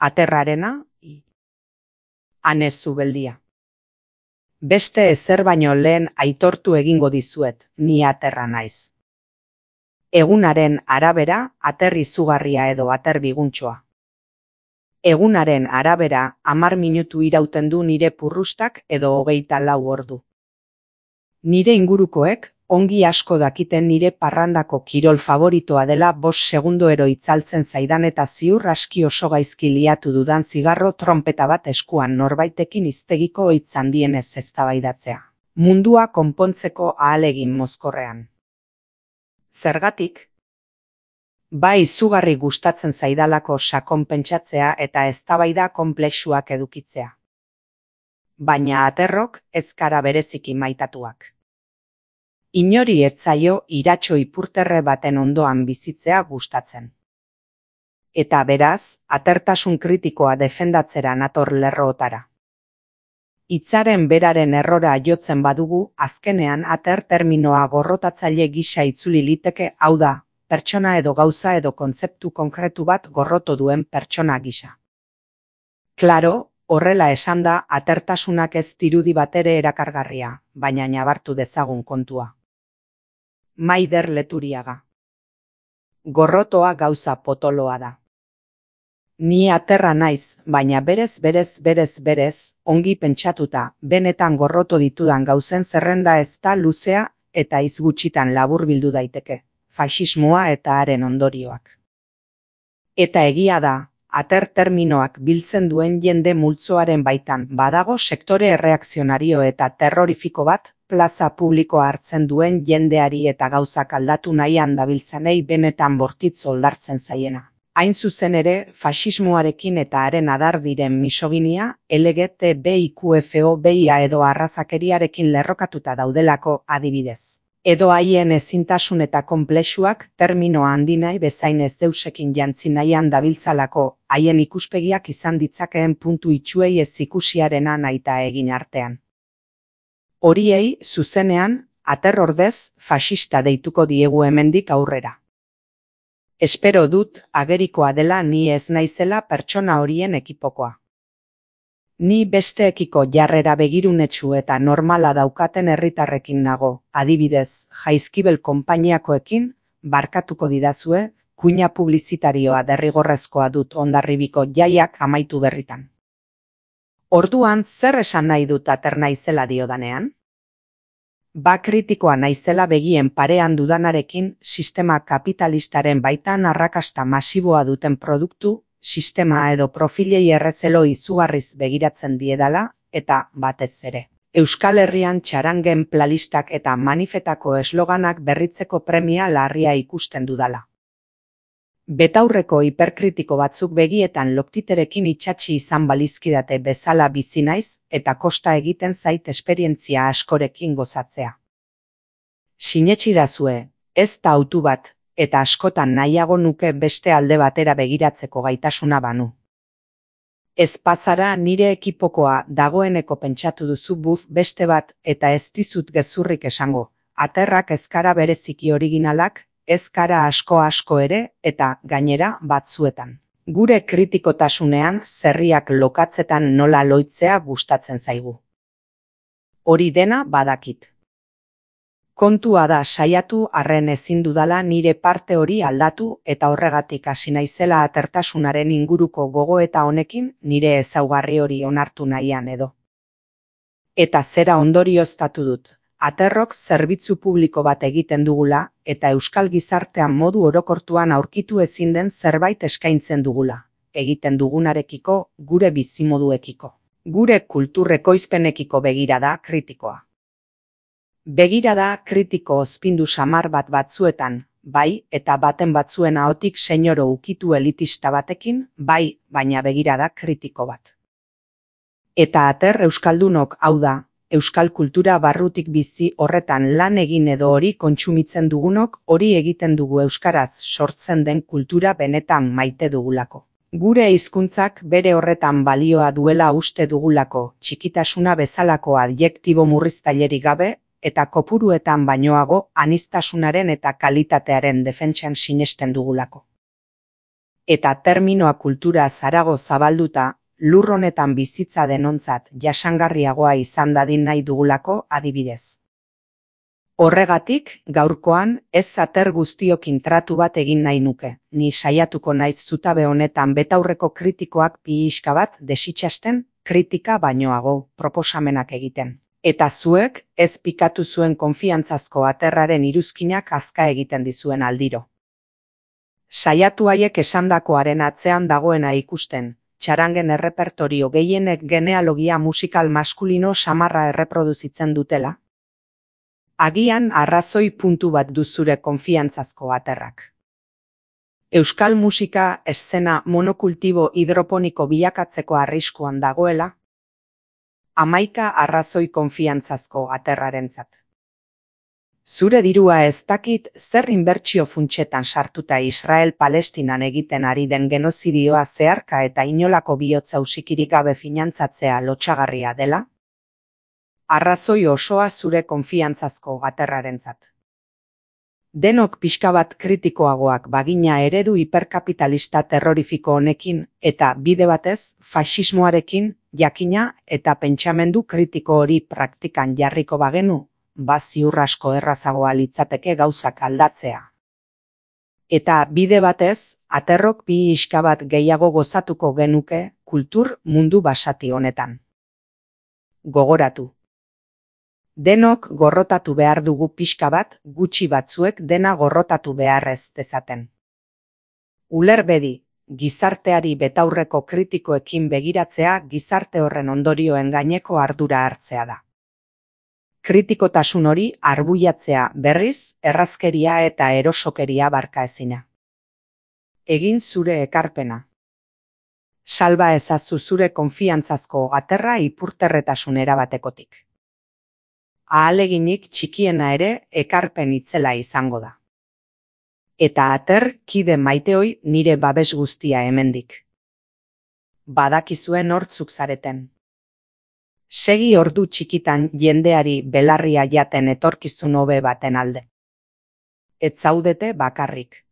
Aterrarena, ane zubeldia. Beste ezer baino lehen aitortu egingo dizuet, ni aterra naiz. Egunaren arabera, ater izugarria edo ater biguntxoa. Egunaren arabera, 10 minutu irauten du nire purrustak edo 24 ordu. Nire ingurukoek, ongi asko dakiten nire parrandako kirol favoritoa dela 5 segundero itzaltzen zaidan eta ziur aski oso gaizki liatu dudan zigarro trompeta bat eskuan norbaitekin hiztegiko hitz handienez eztabaidatzea. Mundua konpontzeko ahalegin mozkorrean. Zergatik? Bai izugarri gustatzen zaidalako sakon pentsatzea eta eztabaida konplexuak edukitzea. Baina aterrok ez gara bereziki maitatuak. Inori ez zaio iratxo ipurterre baten ondoan bizitzea gustatzen. Eta beraz, atertasun kritikoa defendatzera nator lerrootara. Hitzaren beraren errora jotzen badugu, azkenean ater terminoa gorrotatzaile gisa itzuli liteke, hau da, pertsona edo gauza edo kontzeptu konkretu bat gorroto duen pertsona gisa. Klaro, horrela esanda, atertasunak ez dirudi batere erakargarria, baina nabartu dezagun kontua. Maider Leturiaga. Gorrotoa gauza potoloa da. Ni aterra naiz, baina berez, ongi pentsatuta, benetan gorroto ditudan gauzen zerrenda ez da luzea eta hitz gutxitan laburbildu daiteke, faxismoa eta haren ondorioak. Eta egia da, ater terminoak biltzen duen jende multzoaren baitan badago sektore erreakzionario eta terrorifiko bat, plaza publikoa hartzen duen jendeari eta gauzak aldatu nahian dabiltzanei benetan bortitz oldartzen zaiena. Hain zuzen ere, faxismoarekin eta haren adar diren misoginia, LGTBIQFOBIA edo arrazakeriarekin lerrokatuta daudelako adibidez. Edo haien ezintasun eta konplexuak termino handinai bezain ez deusekin jantzi nahian dabiltzalako, haien ikuspegiak izan ditzakeen puntu itxuei ez ikusiarena nahita egin artean. Horiei, zuzenean, ater ordez, faxista deituko diegu hemendik aurrera. Espero dut, agerikoa dela ni ez naizela pertsona horien ekipokoa. Ni besteekiko jarrera begirunetsu eta normala daukaten herritarrekin nago, adibidez, Jaizkibel konpainiakoekin, barkatuko didazue, kuina publizitarioa derrigorrezkoa dut Hondarribiko jaiak amaitu berritan. Orduan, zer esan nahi dut ater naizela diodanean? Ba kritikoa naizela begien parean dudanarekin sistema kapitalistaren baitan arrakasta masiboa duten produktu, sistema edo profilei errezelo izugarriz begiratzen diedala, eta batez ere. Euskal Herrian txarangen plalistak eta manifetako esloganak berritzeko premia larria ikusten dudala. Betaurreko hiperkritiko batzuk begietan loktiterekin itsatsi izan balizkidate bezala bizi naiz eta kosta egiten zait esperientzia askorekin gozatzea. Sinetxidazue, ez da hautu bat, eta askotan nahiago nuke beste alde batera begiratzeko gaitasuna banu. Ez pazara nire ekipokoa dagoeneko pentsatu duzu buf beste bat eta ez dizut gezurrik esango, aterrak ezkara bereziki originalak, ezkara asko ere eta gainera batzuetan. Gure kritikotasunean zerriak lokatzetan nola loitzea gustatzen zaigu. Hori dena badakit. Kontua da saiatu arren ezin dudala nire parte hori aldatu eta horregatik hasi naizela atertasunaren inguruko gogoeta honekin nire ezaugarri hori onartu nahian edo. Eta zera ondorioztatu dut. Aterrok zerbitzu publiko bat egiten dugula eta euskal gizartean modu orokortuan aurkitu ezin den zerbait eskaintzen dugula. Egiten dugunarekiko, gure bizimoduekiko. Gure kulturrekoizpenekiko begirada kritikoa. Begirada kritiko ozpindu samar bat batzuetan, bai, eta baten batzuen ahotik senyoro ukitu elitista batekin, bai, baina begirada kritiko bat. Eta ater euskaldunok hau da, euskal kultura barrutik bizi horretan lan egin edo hori kontsumitzen dugunok hori egiten dugu euskaraz sortzen den kultura benetan maite dugulako. Gure hizkuntzak bere horretan balioa duela uste dugulako, txikitasuna bezalako adjektibo murriztailerik gabe, eta kopuruetan bainoago aniztasunaren eta kalitatearen defentsan sinesten dugulako. Eta terminoa kultura zarago zabalduta, lur honetan bizitza denontzat jasangarriagoa izan dadin nahi dugulako adibidez. Horregatik, gaurkoan, ez ater guztiokin tratu bat egin nahi nuke, ni saiatuko naiz zutabe honetan betaurreko kritikoak pixka bat desitxasten, kritika bainoago proposamenak egiten. Eta zuek, ez pikatu zuen konfiantzazko aterraren iruzkinak azka egiten dizuen aldiro. Saiatu haiek esandakoaren atzean dagoena ikusten, txarangen errepertorio gehienek genealogia musikal maskulino samarra erreproduzitzen dutela. Agian arrazoi puntu bat duzure konfiantzazko aterrak. Euskal musika eszena monokultibo hidroponiko bilakatzeko arriskuan dagoela, 11 arrazoi konfiantzazko aterrarentzat. Zure dirua ez dakit zer inbertsio funtsetan sartuta Israel-Palestinan egiten ari den genozidioa zeharka eta inolako bihotza usikirik gabe finantzatzea lotsagarria dela? Arrazoi osoa zure konfiantzazko aterrarentzat. Denok pixka bat kritikoagoak bagina eredu hiperkapitalista terrorifiko honekin eta bide batez faxismoarekin jakina eta pentsamendu kritiko hori praktikan jarriko bagenu, ziur asko errazagoa litzateke gauzak aldatzea. Eta bide batez, aterrok pixka bat gehiago gozatuko genuke kultur mundu basati honetan. Gogoratu. Denok gorrotatu behar dugu pixka bat, gutxi batzuek dena gorrotatu beharrez dezaten. Ulerbedi, gizarteari betaurreko kritikoekin begiratzea gizarte horren ondorioen gaineko ardura hartzea da. Kritikotasun hori arbuiatzea berriz, errazkeria eta erosokeria barkaezina. Egin zure ekarpena. Salba ezazu zure konfiantzazko aterra ipurterretasun erabatekotik. Ahaleginik txikiena ere ekarpen itzela izango da. Eta ater kide maiteoi nire babes guztia hemendik. Badakizue nortzuk zareten. Segi ordu txikitan jendeari belarria jaten etorkizun hobe baten alde. Ez zaudete bakarrik.